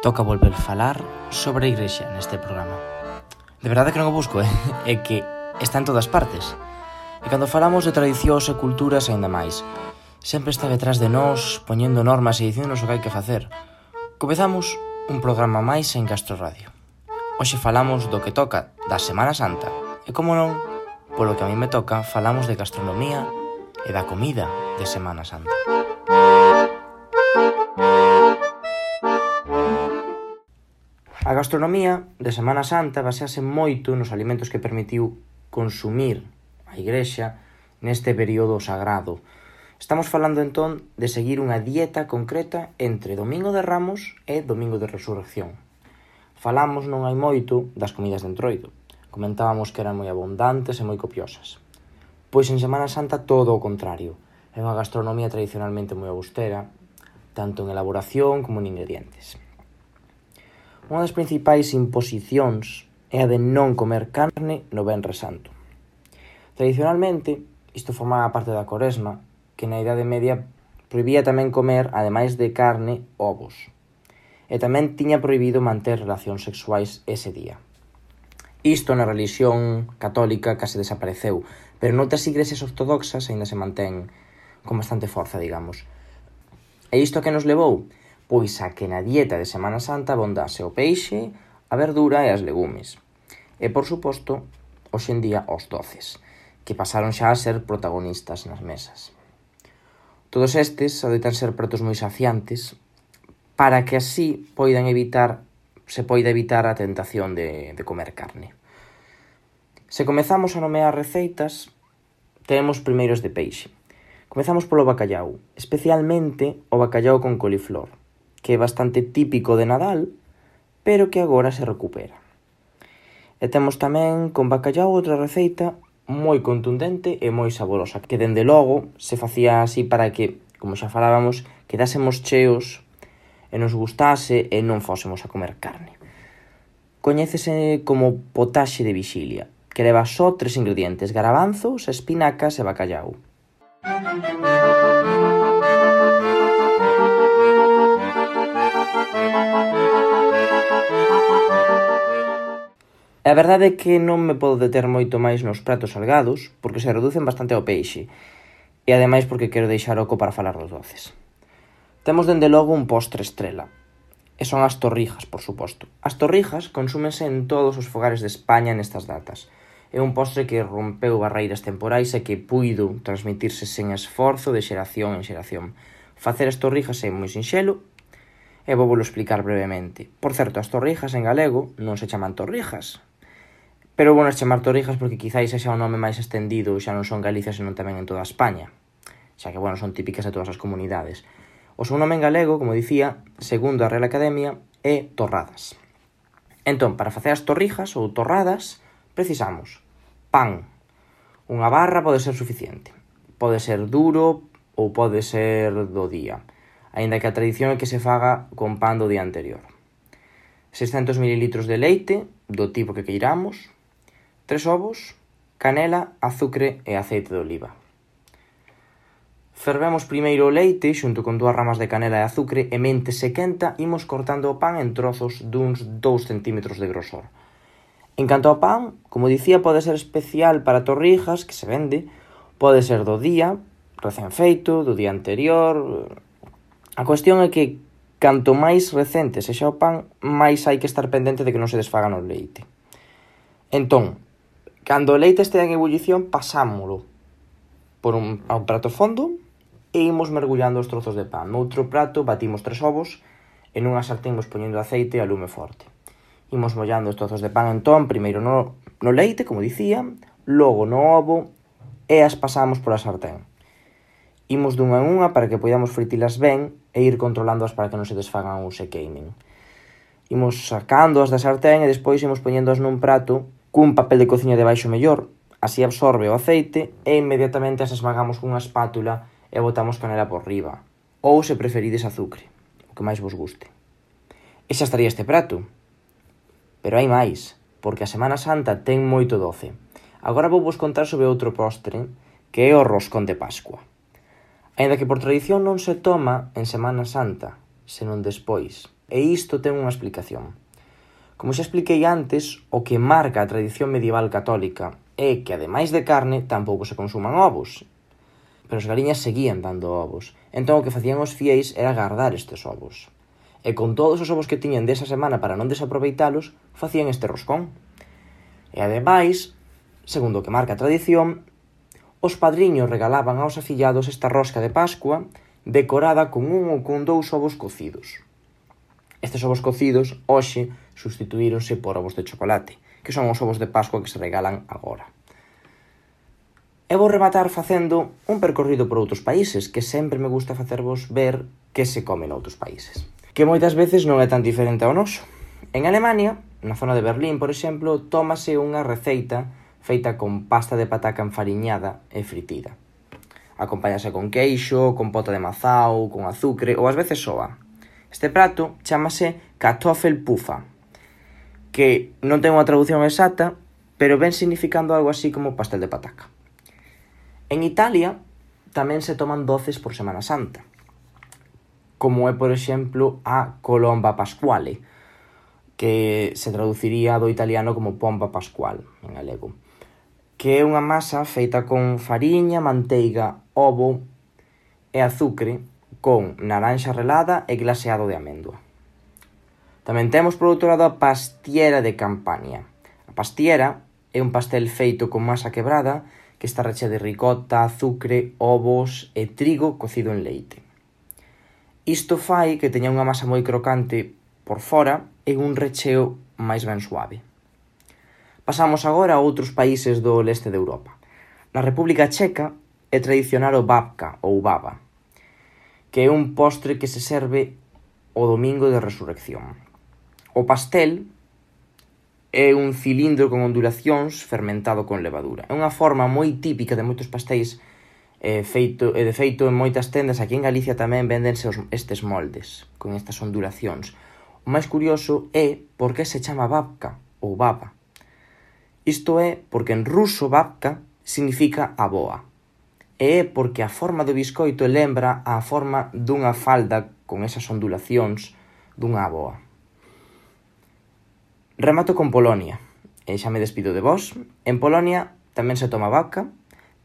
toca volver falar sobre a Igrexa neste programa. De verdade que non o busco, é que está en todas partes. E cando falamos de tradicións e culturas aínda máis, sempre está detrás de nós, poñendo normas e dicíndonos o que hai que facer. Comezamos un programa máis en Castro Radio. Hoxe falamos do que toca da Semana Santa. E como non, polo que a mí me toca, falamos de gastronomía e da comida de Semana Santa. A gastronomía de Semana Santa basease moito nos alimentos que permitiu consumir a Igrexa neste período sagrado. Estamos falando entón de seguir unha dieta concreta entre Domingo de Ramos e Domingo de Resurrección. Falamos non hai moito das comidas de Entroido. Comentábamos que eran moi abundantes e moi copiosas. Pois en Semana Santa todo o contrario. É unha gastronomía tradicionalmente moi austera, tanto en elaboración como en ingredientes. Unha das principais imposicións é a de non comer carne no Venres Santo. Tradicionalmente, isto formaba parte da Coresma, que na Idade Media prohibía tamén comer, ademais de carne, ovos. E tamén tiña prohibido manter relacións sexuais ese día. Isto na relixión católica case desapareceu, pero noutras igrexas ortodoxas aínda se mantén con bastante forza, digamos. E isto que nos levou? Pois a que na dieta de Semana Santa abondase o peixe, a verdura e as legumes. E, por suposto, hoxe en día os doces, que pasaron xa a ser protagonistas nas mesas. Todos estes adoitan ser pratos moi saciantes para que así se poida evitar a tentación de comer carne. Se comezamos a nomear receitas, temos primeiros de peixe. Comezamos polo bacallau, especialmente o bacallau con coliflor, que é bastante típico de Nadal, pero que agora se recupera. E temos tamén con bacallau outra receita moi contundente e moi saborosa, que dende logo se facía así para que, como xa falábamos, quedásemos cheos e nos gustase e non fósemos a comer carne. Coñécese como potaxe de vixilia, que leva só 3 ingredientes: garabanzos, espinacas e bacallau. A verdade é que non me podo deter moito máis nos pratos salgados, porque se reducen bastante ao peixe, e ademais porque quero deixar oco para falar dos doces. Temos dende logo un postre estrela, e son as torrijas, por suposto. As torrijas consúmense en todos os fogares de España nestas datas. É un postre que rompeu barreiras temporais e que puido transmitirse sen esforzo de xeración en xeración. Facer as torrijas é moi sinxelo, e vou explicar brevemente. Por certo, as torrijas en galego non se chaman torrijas, pero vou chamar torrijas porque quizáis sexa o nome máis estendido, xa non son Galicia, senón tamén en toda España, xa que, son típicas de todas as comunidades. O seu nome en galego, como dicía, segundo a Real Academia, é torradas. Entón, para facer as torrijas ou torradas, precisamos pan. Unha barra pode ser suficiente. Pode ser duro ou pode ser do día, aínda que a tradición é que se faga con pan do día anterior. 600 ml de leite, do tipo que queiramos, 3 ovos, canela, azucre e aceite de oliva. Fervemos primeiro o leite xunto con 2 ramas de canela e azucre e mente se quenta imos cortando o pan en trozos duns 2 centímetros de grosor. En canto ao pan, como dicía, pode ser especial para torrijas, que se vende, pode ser do día, recén feito, do día anterior. A cuestión é que canto máis recente sexa o pan, máis hai que estar pendente de que non se desfaga no leite. Entón, cando o leite estea en ebullición, pasámolo a un prato fondo e imos mergullando os trozos de pan. Noutro prato batimos 3 ovos e nunha sartén imos poñendo aceite a lume forte. Imos mollando os trozos de pan entón, primeiro no leite, como dicía, logo no ovo e as pasamos pola sartén. Imos dunha en unha para que podamos fritilas ben e ir controlándoas para que non se desfagan ou se queimen. Imos sacándoas da sartén e despois imos poñéndoas nun prato cun papel de cociña debaixo mellor, así absorbe o aceite e inmediatamente as esmagamos cunha espátula e botamos canela por riba, ou se preferides azucre, o que máis vos guste. E xa estaría este prato. Pero hai máis, porque a Semana Santa ten moito doce. Agora vou vos contar sobre outro postre, que é o roscón de Pascua. Aínda que por tradición non se toma en Semana Santa, senón despois, E isto ten unha explicación. Como xa expliquei antes, o que marca a tradición medieval católica é que, ademais de carne, tampouco se consuman ovos. Pero as galiñas seguían dando ovos. Entón o que facían os fieis era guardar estes ovos. E con todos os ovos que tiñan desa semana para non desaproveitalos, facían este roscón. E ademais, segundo o que marca a tradición, os padriños regalaban aos afillados esta rosca de Pascua decorada con un ou con 2 ovos cocidos. Estes ovos cocidos, hoxe, substituíronse por ovos de chocolate, que son os ovos de Pascua que se regalan agora. E vou rematar facendo un percorrido por outros países, que sempre me gusta facervos ver que se come noutros países, que moitas veces non é tan diferente ao noso. En Alemania, na zona de Berlín, por exemplo, tómase unha receita feita con pasta de pataca enfariñada e fritida. Acompáñase con queixo, con pota de mazao, con azucre ou ás veces soa. Este prato chámase Kartoffelpuffer, que non ten unha traducción exacta, pero ven significando algo así como pastel de pataca. En Italia tamén se toman doces por Semana Santa, como é, por exemplo, a colomba pasquale, que se traduciría do italiano como pomba pascual, en galego, que é unha masa feita con fariña, manteiga, ovo e azucre, con naranxa relada e glaseado de amêndoa. Tamén temos por outro lado a pastiera de Campania. A pastiera é un pastel feito con masa quebrada que está rechea de ricota, azucre, ovos e trigo cocido en leite. Isto fai que teña unha masa moi crocante por fora e un recheo máis ben suave. Pasamos agora a outros países do leste de Europa. Na República Checa é tradicional o babka ou baba, que é un postre que se serve o domingo de resurrección. O pastel é un cilindro con ondulacións fermentado con levadura. É unha forma moi típica de moitos pastéis de feito en moitas tendas. Aquí en Galicia tamén véndense estes moldes con estas ondulacións. O máis curioso é por que se chama babka ou baba. Isto é porque en ruso babka significa aboa. E é porque a forma do biscoito lembra a forma dunha falda con esas ondulacións dunha aboa. Remato con Polonia, e xa me despido de vos. En Polonia tamén se toma babka,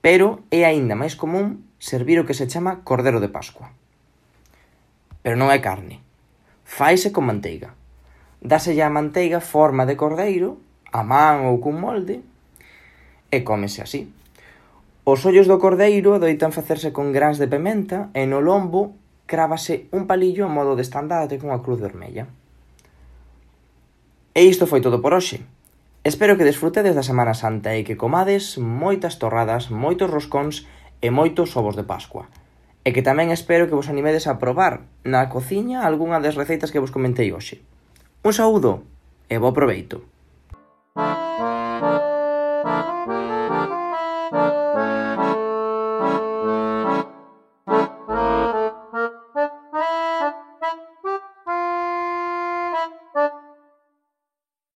pero é aínda máis común servir o que se chama cordero de Pascua. Pero non é carne. Faise con manteiga. Dáselle a manteiga forma de cordeiro, a man ou cun molde, e cómese así. Os ollos do cordeiro adoitan facerse con grans de pementa e no lombo crávase un palillo a modo de estandarte con a cruz vermella. E isto foi todo por hoxe. Espero que desfrutedes da Semana Santa e que comades moitas torradas, moitos roscóns e moitos ovos de Pascua. E que tamén espero que vos animedes a probar na cociña algunha das receitas que vos comentei hoxe. Un saúdo e bo proveito.